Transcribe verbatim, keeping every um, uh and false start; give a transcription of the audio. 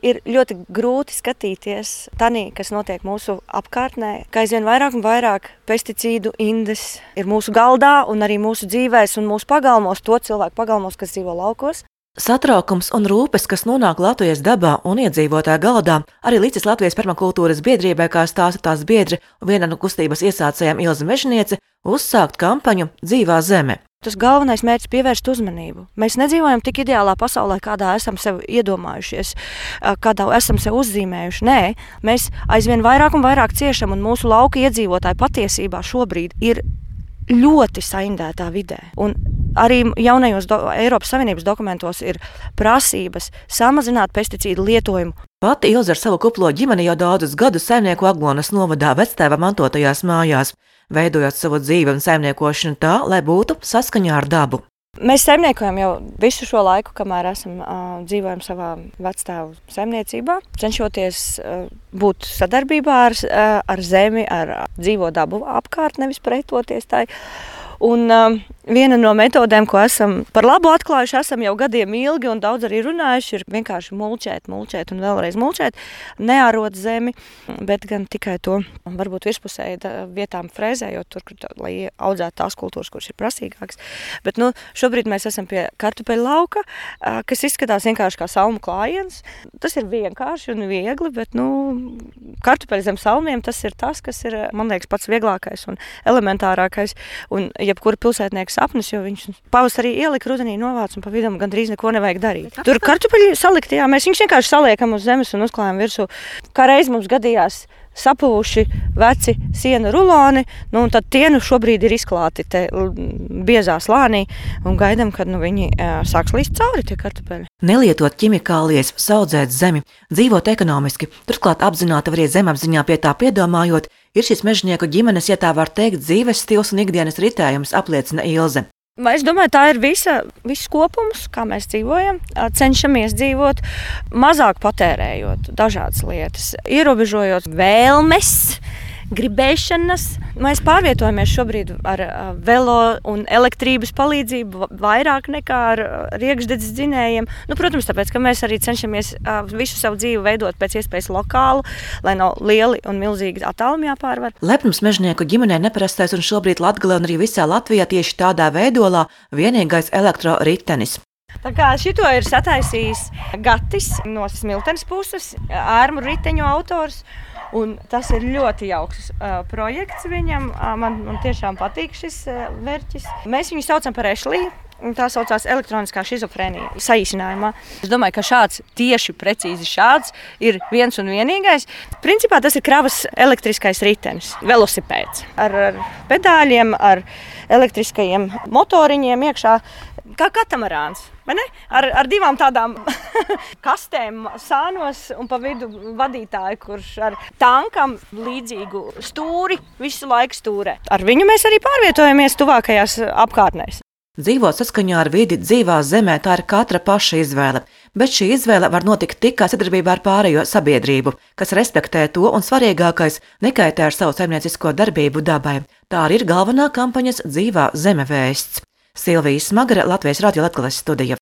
Ir ļoti grūti skatīties tanī, kas notiek mūsu apkārtnē, ka aizvien vairāk un vairāk pesticīdu indes ir mūsu galdā un arī mūsu dzīvēs un mūsu pagalmos, to cilvēku pagalmos, kas dzīvo laukos. Satraukums un rūpes, kas nonāk Latvijas dabā un iedzīvotāju galdā, arī līdzis Latvijas permakultūras biedrībai, kā stāsta tās biedri un viena no kustības iesācējām Ilze Mežniece, uzsākt kampaņu Dzīvā zeme. Tas galvenais mērķis ir pievērst uzmanību. Mēs nedzīvojam tik ideālā pasaulē, kādā esam sev iedomājušies, kādā esam sev uzzīmējuši. Nē, mēs aizvien vairāk un vairāk ciešam, un mūsu lauka iedzīvotāji patiesībā šobrīd ir ļoti saindētā vidē. Un arī jaunajos do, Eiropas Savienības dokumentos ir prasības samazināt pesticīdu lietojumu. Pati Ilze ar savu kuplo ģimeni jau daudzus gadus saimnieku Aglonas novadā vectēva mantotajās mājās, veidojot savu dzīvi un saimniekošanu tā, lai būtu saskaņā ar dabu. Mēs saimniekojam jau visu šo laiku, kamēr esam uh, dzīvojam savā vectēvu saimniecībā, cenšoties uh, būt sadarbībā ar, uh, ar zemi, ar dzīvo dabu apkārt, nevis pretoties tai. Un uh, viena no metodēm, ko esam par labu atklājuši, esam jau gadiem ilgi un daudz arī runājuši, ir vienkārši mulčēt, mulčēt un vēlreiz mulčēt, neārot zemi, bet gan tikai to varbūt virspusēji vietām frēzējot, tur, lai audzētu tās kultūras, kuras ir prasīgākas. Bet nu, šobrīd mēs esam pie kartupeļu lauka, uh, kas izskatās vienkārši kā salmu klājiens. Tas ir vienkārši un viegli, bet nu, kartupeļi zem salmiem, tas ir tas, kas ir, man liekas, pats vieglākais un elementārākais. Un, jebkura pilsētnieka sapnis, jo viņš pavasarī ielika, rudenī novāc un pa vidam gandrīz neko nevajag darīt. Tur kartupeļi salikti, jā, mēs viņus vienkārši saliekam uz zemes un uzklājam virsū. Kā reiz mums gadījās sapuvuši veci sienu ruloni, nu un tad tie nu šobrīd ir izklāti te biezā slānī un gaidam, kad nu viņi e, sāks līst cauri tie kartupeļi. Nelietot ķimikālijas, saudzēt zemi, dzīvot ekonomiski, turklāt apzināti arī zemapziņā pie tā piedomājot, ir šis mežnieku ģimenes, ja tā var teikt, dzīves stils un ikdienas ritējums, apliecina Ilze. Es domāju, tā ir visa, viss kopums, kā mēs dzīvojam, cenšamies dzīvot, mazāk patērējot dažādas lietas, ierobežojot vēlmes, gribēšanas. Mēs pārvietojamies šobrīd ar velo un elektrības palīdzību vairāk nekā ar riekšdedzes dzinējiem. Nu, protams, tāpēc, ka mēs arī cenšamies visu savu dzīvi veidot pēc iespējas lokālu, lai nav lieli un milzīgi attālumi jāpārvar. Lepnums mežnieku ģimenē neparastais un šobrīd Latgalē un arī visā Latvijā tieši tādā veidolā vienīgais elektroritenis. Tā kā šito ir sataisījis Gatis no Smiltenes puses, ērmu riteņu autors. Un tas ir ļoti jauks uh, projekts viņam. Uh, man, man tiešām patīk šis uh, vērķis. Mēs viņu saucam par Ešliju. Tā saucās elektroniskā šizofrēnija saīsinājumā. Es domāju, ka šāds, tieši precīzi šāds, ir viens un vienīgais. Principā tas ir kravas elektriskais ritenis, velosipēds. Ar, ar pedāļiem, ar elektriskajiem motoriņiem iekšā, kā katamarāns. Ar, ar divām tādām kastēm sānos un pa vidu vadītāju, kurš ar tankam līdzīgu stūri visu laiku stūrē. Ar viņu mēs arī pārvietojamies tuvākajās apkārtnēs. Dzīvot saskaņā ar vidi dzīvā zemē, tā ir katra paša izvēle, bet šī izvēle var notikt tikai sadarbībā ar pārējo sabiedrību, kas respektē to un svarīgākais nekaitē ar savu saimniecisko darbību dabai. Tā arī ir galvenā kampaņas Dzīvā zeme vēsts. Silvija Smagare, Latvijas Radio Latgales studija.